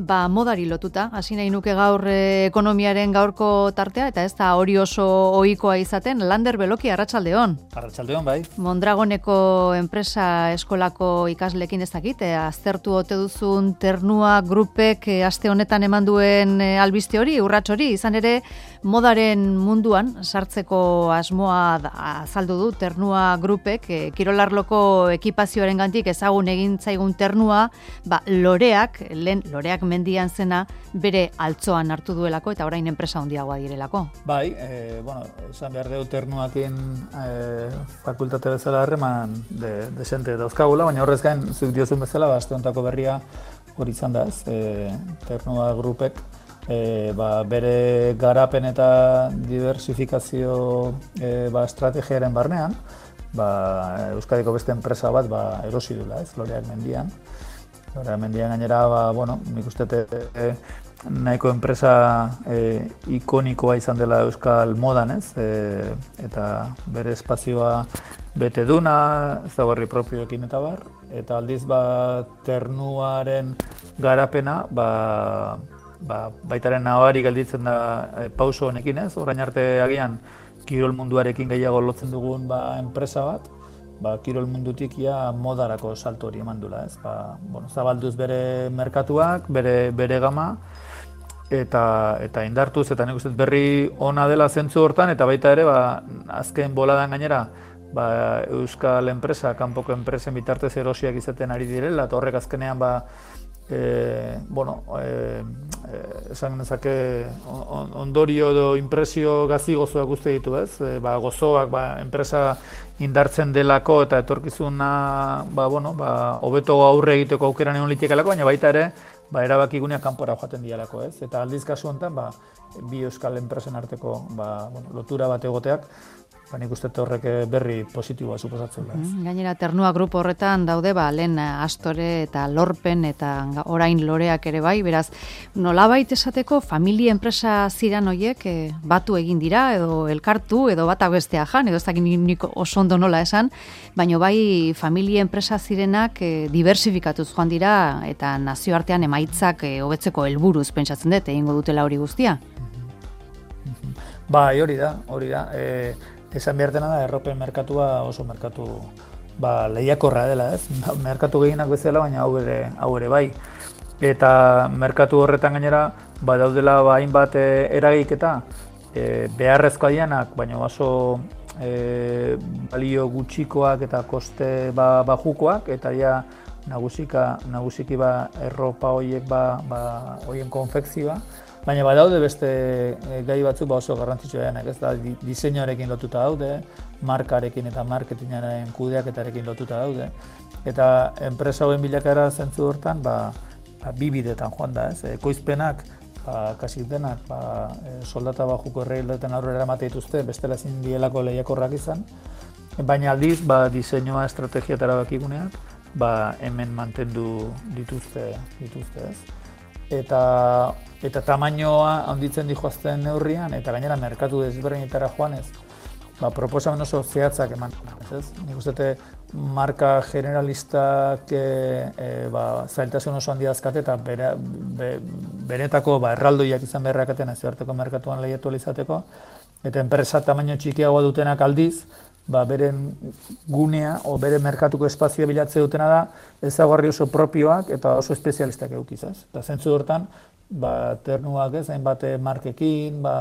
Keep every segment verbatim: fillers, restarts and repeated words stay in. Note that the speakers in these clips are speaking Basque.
ba, modari lotuta, hasi nahi nuke gaur eh, ekonomiaren gaurko tartea, eta ez da hori oso ohikoa izaten. Lander Beloki, arratsaldeon. Arratsaldeon, bai. Mondragoneko enpresa eskolako ikaslekin ez dakit, eh, aztertu ote duzun Ternua Grupek eh, aste honetan eman duen eh, albiste hori, urrats hori, izan ere modaren munduan sartzeko asmoa da, azaldu du Ternua Grupek, eh, kirolarloko ekipazioaren gantik ezagun egin zaigun Ternua, ba, loreak, lehen loreak mendian zena bere altzoan hartu duelako eta orain enpresa handiagoa direlako. Bai, e, bueno, esan behar dugu Ternuakin e, fakultate bezala harreman de, desente dauzkagula, baina horrez gain, zuk diozun bezala, ba, aste hontako berria hori izan da ez, e, Ternua Grupek e, ba, bere garapen eta diversifikazio e, ba, estrategiaren barnean, ba, Euskadiko beste enpresa bat ba, erosi dula ez, loreak mendian. Hora, mendian gainera, ba, bueno, nik uste e, nahiko enpresa e, ikonikoa izan dela Euskal modan, ez? E, eta bere espazioa bete duna, ezaugarri propioekin eta bar. Eta aldiz, ba, Ternuaren garapena, ba, ba, baitaren nabari gelditzen da e, pauso honekin, ez? Orain arte agian, kirol munduarekin gehiago lotzen dugun ba, enpresa bat, ba, kirol mundutik ja modarako salto hori eman dula, ez? Ba, bueno, zabalduz bere merkatuak, bere, bere gama, eta, eta indartuz, eta nik uste berri ona dela zentzu hortan, eta baita ere, ba, azken boladan gainera, ba, Euskal enpresa, kanpoko enpresen bitartez erosiak izaten ari direla, eta horrek azkenean, ba, e, bueno, e, e, esan nezake on, ondorio edo impresio gazi gozoak uste ditu, ez? E, ba, gozoak, ba, enpresa indartzen delako eta etorkizuna, ba, bueno, ba, hobeto aurre egiteko aukeran egon litekeelako, baina baita ere, ba, erabakiguneak kanpora joaten dialako, ez? Eta aldiz kasu honetan, ba, bi euskal enpresen arteko, ba, bueno, lotura bat egoteak, ba, nik uste horrek berri positiboa suposatzen da. Mm, gainera, Ternua Grupo horretan daude, ba, lehen Astore eta Lorpen eta orain Loreak ere bai, beraz, nolabait esateko familia enpresa ziran hoiek eh, batu egin dira, edo elkartu, edo bata bestea jan, edo ez dakit nik oso ondo nola esan, baina bai familia enpresa zirenak eh, diversifikatuz joan dira, eta nazioartean emaitzak eh, hobetzeko helburuz pentsatzen dut, egingo dutela hori guztia. Bai, hori da, hori da. E, esan behar dena da, erropen merkatua oso merkatu ba, lehiakorra dela, ez? Merkatu gehienak bezala, baina hau ere, hau ere bai. Eta merkatu horretan gainera, ba, daudela ba, hainbat e, eragiketa, e, beharrezkoa dianak, baina oso e, balio gutxikoak eta koste ba, bajukoak, eta ja nagusika, nagusiki ba, erropa horiek ba, ba, horien konfekzioa. Baina badaude beste gai batzuk ba oso garrantzitsua denak, ez da, diseinuarekin lotuta daude, markarekin eta marketingaren kudeaketarekin lotuta daude. Eta enpresa hauen bilakaera zentzu hortan, ba, ba, bi bidetan joan da, ez? Ekoizpenak, ba, kasik denak, ba, soldata bajuko erreileten aurrera emate dituzte, bestela ezin dielako lehiakorrak izan. Baina aldiz, ba, diseinua, estrategia eta erabakiguneak, ba, hemen mantendu dituzte, dituzte, ez? Eta, eta tamainoa handitzen dijoazten neurrian, eta gainera merkatu desberdinetara joanez, ba, proposamen oso zehatzak eman. Ez? Nik uste marka generalistak e, e, ba, zailtasun oso handia dazkate, eta bere, be, benetako ba, erraldoiak izan beharrakaten nazioarteko merkatuan lehiatu izateko, eta enpresa tamaino txikiagoa dutenak aldiz, ba, beren gunea o bere merkatuko espazioa bilatze dutena da ezaugarri oso propioak eta oso espezialistak edukiz, ez? Eta zentzu hortan, ba, Ternuak ez, hainbat markekin, ba,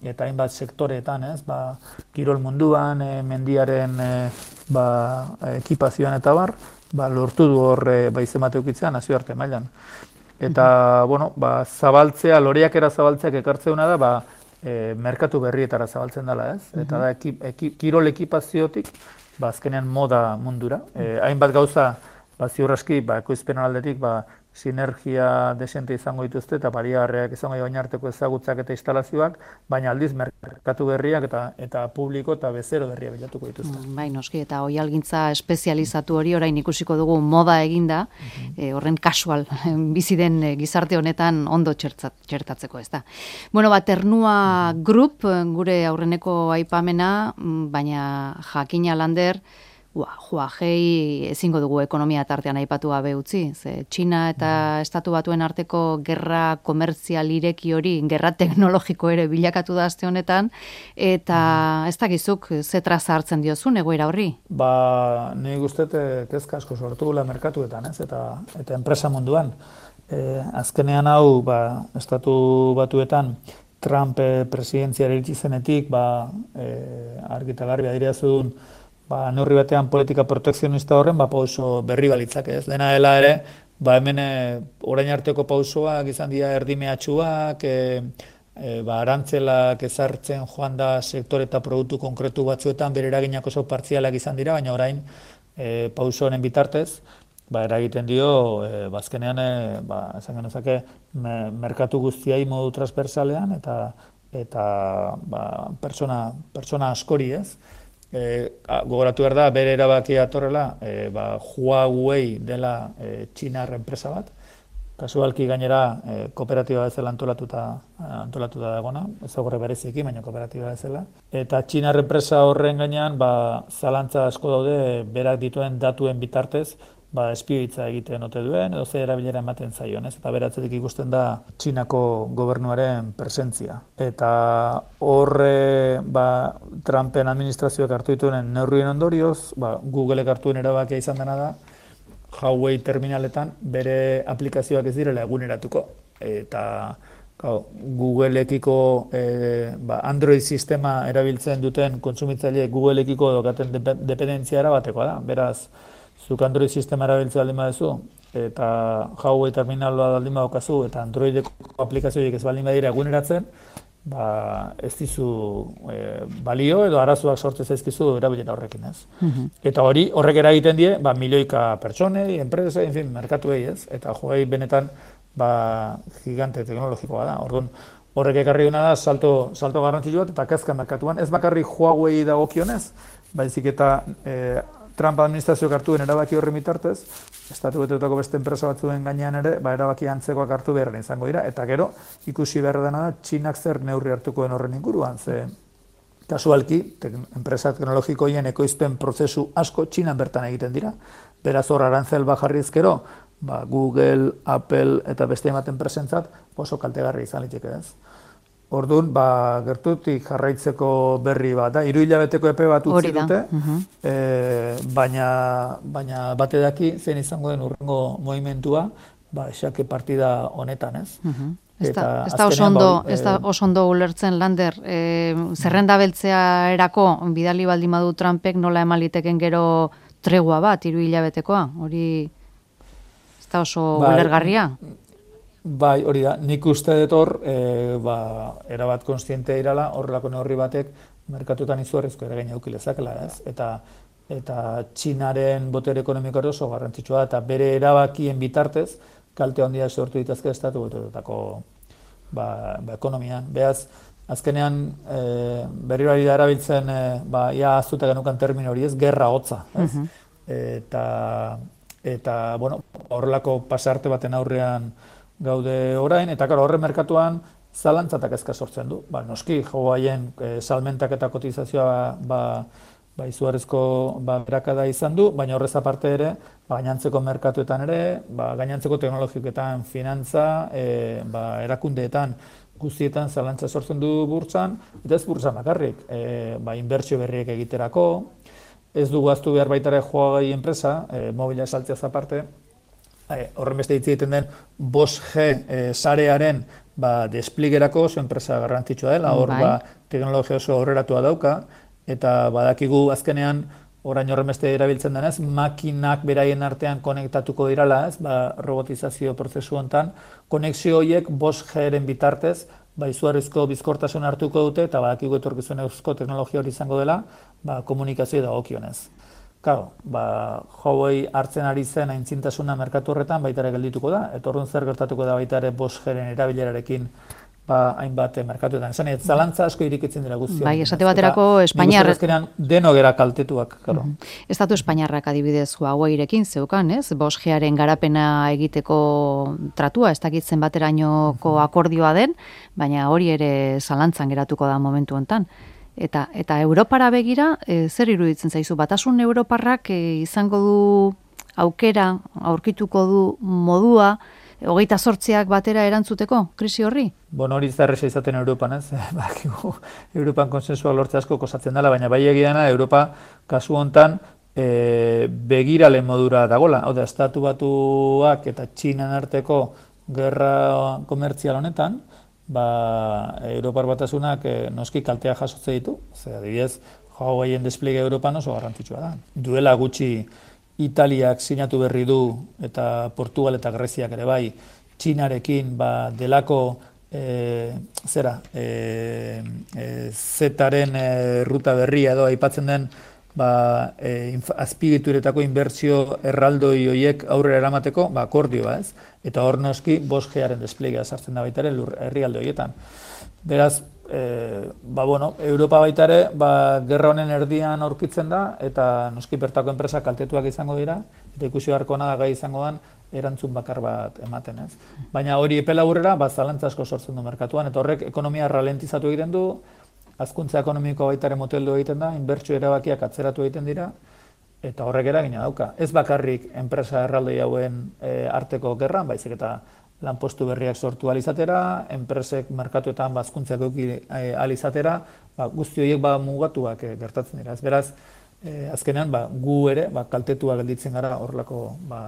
eta hainbat sektoreetan, ez? Ba, kirol munduan, e, mendiaren e, ba, ekipazioan eta bar, ba, lortu du hor e, ba, izemate eukitzea nazioarte mailan. Eta, bueno, ba, zabaltzea, loreak era zabaltzeak ekartzeuna da, ba, E, merkatu berrietara zabaltzen dela, ez? Eta da, ekip, ekip, kirol ekipaziotik, ba, azkenean moda mundura. E, hainbat gauza, ba, ziur aski, ba, ekoizpen aldetik, ba, sinergia desente izango dituzte eta baliagarriak izango baina arteko ezagutzak eta instalazioak, baina aldiz merkatu berriak eta eta publiko eta bezero berria bilatuko dituzte. Mm, bai, noski, eta oihalgintza espezializatu hori orain ikusiko dugu moda eginda, uh-huh. e, horren kasual bizi den gizarte honetan ondo txertzat, txertatzeko, ez da. Bueno, ba, Ternua uh-huh. Group, gure aurreneko aipamena, baina Jakina Lander, Huawei ezingo dugu ekonomia tartean aipatu gabe utzi, ze Txina eta Estatu Batuen arteko gerra komertzial ireki hori, gerra teknologiko ere bilakatu da aste honetan, eta ez dakizuk ze traza hartzen diozun egoera horri? Ba, nik uste kezka asko sortu gula merkatuetan, ez? Eta, eta enpresa munduan. E, azkenean hau, ba, Estatu Batuetan, Trump presidentziara iritsi zenetik, ba, e, argita garbi adierazun, ba, neurri batean politika protekzionista horren, ba, pauso berri balitzak, ez? Dena dela ere, ba, hemen orain arteko pausoak izan dira erdi mehatxuak, e, e, ba, arantzelak ezartzen joan da sektore eta produktu konkretu batzuetan, bere eraginak oso partzialak izan dira, baina orain e, pauso honen bitartez, ba, eragiten dio, e, bazkenean, e, ba, esan genezake, me, merkatu guztiai modu transversalean, eta, eta ba, persona, persona askori, ez? E, gogoratu behar da, bere erabakia atorrela, e, ba, Huawei dela e, Txinar enpresa bat, kasualki gainera e, kooperatiba bezala antolatuta, antolatuta dagona, ez horre bereziki, baina kooperatiba bezala. Eta Txinar enpresa horren gainean, ba, zalantza asko daude, berak dituen datuen bitartez, ba, espioitza egiten ote duen, edo ze erabilera ematen zaion, ez? Eta beratzetik ikusten da Txinako gobernuaren presentzia. Eta horre, ba, Trumpen administrazioak hartu dituen neurrien ondorioz, ba, Googleek hartuen erabakia izan dena da, Huawei terminaletan bere aplikazioak ez direla eguneratuko. Eta Googleekiko e, ba, Android sistema erabiltzen duten kontsumitzaile Googleekiko dokaten dependentzia erabatekoa da. Beraz, zuk Android sistema erabiltzea baldin baduzu, eta Huawei terminala baldin badukazu, eta Androideko aplikazioik ez baldin badira eguneratzen, ba, ez dizu e, balio edo arazoak sortzen zaizkizu erabilera horrekin, ez. Uh-huh. Eta hori, horrek eragiten die, ba, milioika pertsonei, enpresei, en fin, merkatuei, ez. Eta Huawei benetan, ba, gigante teknologikoa da. Orduan, horrek ekarri duna da, salto, salto garrantzitsua eta kezka merkatuan. Ez bakarri Huawei dagokionez, baizik eta e, Trump administrazioak hartu den erabaki horren bitartez, Estatu Batuetako beste enpresa batzuen gainean ere, ba, erabaki antzekoak hartu beharren izango dira, eta gero, ikusi behar dena da, Txinak zer neurri hartuko den horren inguruan, ze kasualki, tek, enpresa teknologikoien ekoizpen prozesu asko Txinan bertan egiten dira, beraz hor arantzel bajarriz gero, ba, Google, Apple eta beste ematen presentzat, oso kaltegarri izan liteke ez. Orduan, ba, gertutik jarraitzeko berri bat, da, hiru hilabeteko epe bat utzi dute, uh-huh. e, baina, baina bate daki zein izango den urrengo movimentua, ba, esake partida honetan, ez? Uh-huh. Ez da, ez da oso ondo, ba, ez da oso ondo ulertzen, Lander, e, zerrenda beltzea erako, bidali baldin badu Trumpek nola eman liteken gero tregua bat, hiru hilabetekoa, hori ez da oso ba, ulergarria? Bai, hori da, nik uste dut hor, e, ba, erabat konstientea irala, horrelako neurri batek merkatutan izugarrizko eragina eduki lezakela, ez? Eta, eta Txinaren botere ekonomiko oso garrantzitsua da, eta bere erabakien bitartez, kalte handia sortu ditazke Estatu Batuetako ba, ba, ekonomian. Beaz, azkenean e, berriro ari da erabiltzen, e, ba, ia azuta genukan termino hori ez, gerra hotza, ez? Uh-huh. Eta, eta, bueno, horrelako pasarte baten aurrean gaude orain, eta karo, horren merkatuan zalantzatak ezka sortzen du. Ba, noski, Huaweien e, salmentak eta kotizazioa ba, ba, izugarrizko ba, berakada izan du, baina horrez aparte ere, ba, gainantzeko merkatuetan ere, ba, gainantzeko teknologiketan, finantza, e, ba, erakundeetan, guztietan zalantza sortzen du burtsan, eta ez burtsan bakarrik, e, ba, inbertsio berriek egiterako, ez du gaztu behar baitare Huawei enpresa, e, mobila saltzeaz aparte, E, horren beste hitz egiten den bost G e, sarearen ba, despligerako oso enpresa garrantzitsua dela, hor ba, teknologia oso aurreratua dauka, eta badakigu azkenean orain horren beste erabiltzen denez, makinak beraien artean konektatuko dirala, ez, ba, robotizazio prozesu hontan, konexio horiek bost G-ren bitartez, ba, izugarrizko bizkortasun hartuko dute, eta badakigu etorkizunezko teknologia hori izango dela, ba, komunikazio dagokionez. Claro, ba, Huawei hartzen ari zen aintzintasuna merkatu horretan baita ere geldituko da, eta orduan zer gertatuko da baita ere bost G-ren erabilerarekin ba, hainbat merkatuetan. Esan, ez zalantza asko irikitzen dira guztion. Bai, esate baterako Espainiar... Nik uste deno gera kaltetuak, claro. Uh-huh. Estatu Espainiarrak adibidez Huaweirekin zeukan, ez? bost G-aren garapena egiteko tratua, ez dakitzen baterainoko uh-huh. akordioa den, baina hori ere zalantzan geratuko da momentu hontan. Eta eta Europara begira, e, zer iruditzen zaizu? Batasun Europarrak e, izango du aukera, aurkituko du modua, hogeita zortziak batera erantzuteko, krisi horri? Bueno, hori zarresa izaten Europan, ez? Bakigu, Europan konsensua lortze asko kosatzen dela, baina bai egiana Europa kasu hontan e, begirale modura dagola. Hau da, estatu batuak eta Txinan arteko gerra komertzial honetan, ba, Europar batasunak e, noski kaltea jasotze ditu. Zer, adibidez, Huaweien despliege Europan oso garrantzitsua da. Duela gutxi Italiak sinatu berri du, eta Portugal eta Greziak ere bai, Txinarekin ba, delako e, zera, e, e, zetaren e, ruta berria edo aipatzen den ba, e, azpigituretako inbertsio erraldoi horiek aurrera eramateko, ba, akordioa ez, eta hor noski bost G-aren desplegea sartzen da baita ere herrialde horietan. Beraz, e, ba, bueno, Europa baita ere, ba, gerra honen erdian aurkitzen da, eta noski bertako enpresa kaltetuak izango dira, eta ikusi beharko da gai izango dan, erantzun bakar bat ematen ez. Baina hori epela aurrera, ba, zalantza asko sortzen du merkatuan, eta horrek ekonomia ralentizatu egiten du, hazkuntza ekonomiko baita ere moteldu egiten da, inbertsio erabakiak atzeratu egiten dira, eta horrek eragina dauka. Ez bakarrik enpresa erraldoi hauen e, arteko gerran, baizik eta lanpostu berriak sortu alizatera, enpresek merkatuetan bazkuntzak euki alizatera, ba, guzti horiek ba, mugatuak e, gertatzen dira. Ez beraz, e, azkenean ba, gu ere ba, kaltetua gelditzen gara horrelako ba,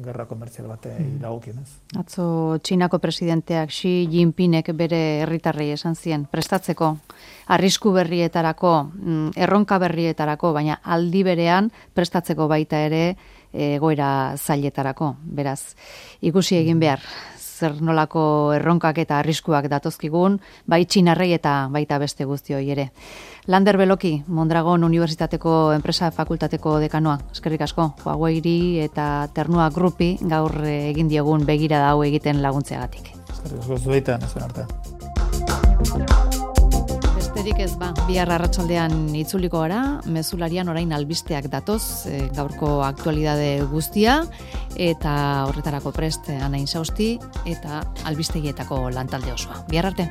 gerra komertzial bate mm. dagokienez. Atzo Txinako presidenteak Xi Jinpingek bere herritarrei esan zien prestatzeko arrisku berrietarako, erronka berrietarako, baina aldi berean prestatzeko baita ere egoera zailetarako. Beraz, ikusi egin behar, zer nolako erronkak eta arriskuak datozkigun, bai Txinarrei eta baita beste guztioi ere. Lander Beloki, Mondragon Unibertsitateko Enpresa Fakultateko dekanoa, eskerrik asko, Huaweiri eta Ternua Grupi gaur egin diegun begirada hau egiten laguntzeagatik. Eskerrik asko zuetan, ez arte. Besterik ez ba, bihar arratsaldean itzuliko gara, mezularian orain albisteak datoz, e, gaurko aktualidade guztia, eta horretarako prest Anain Sausti, eta albistegietako lantalde osoa. Bihar arte.